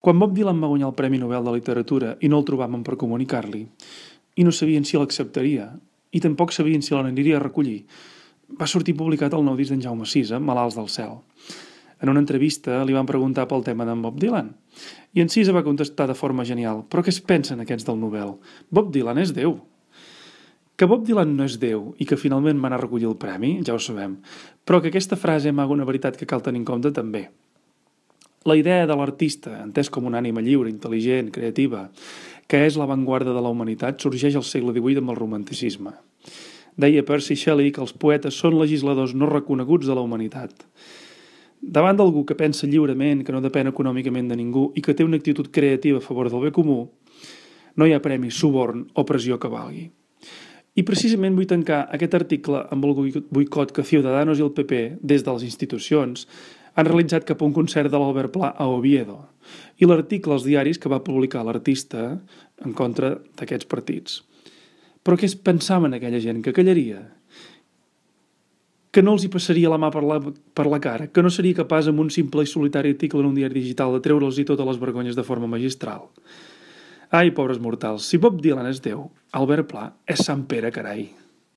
Quan Bob Dylan va guanyar el Premi Nobel de Literatura i no el trobaven per comunicar-li, i no sabien si l'acceptaria, i tampoc sabien si l'aniria a recollir, va sortir publicat el nou disc d'en Jaume Sisa, Malalts del cel. En una entrevista li van preguntar pel tema d'en Bob Dylan, i en Sisa va contestar de forma genial: «Però què es pensen aquests del Nobel? Bob Dylan és Déu!» Que Bob Dylan no és Déu i que finalment va anar a recollir el premi, ja ho sabem, però que aquesta frase amaga una veritat que cal tenir en compte també. La idea de l'artista, entès com una ànima lliure, intel·ligent, creativa, que és l'avantguarda de la humanitat, sorgeix al segle XVIII amb el romanticisme. Deia Percy Shelley que els poetes són legisladors no reconeguts de la humanitat. Davant d'algú que pensa lliurement, que no depèn econòmicament de ningú i que té una actitud creativa a favor del bé comú, no hi ha premi, suborn o pressió que valgui. I precisament vull tancar aquest article amb el boicot que Ciudadanos i el PP, des de les institucions, han realitzat cap a un concert de l'Albert Pla a Oviedo, i l'article als diaris que va publicar l'artista en contra d'aquests partits. Però què es pensaven aquella gent? Que callaria? Que no els hi passaria la mà per la cara? Que no seria capaç amb un simple i solitari article en un diari digital de treure'ls-hi totes les vergonyes de forma magistral? Ai, pobres mortals, si Bob Dylan és Déu, Albert Pla és Sant Pere, carai.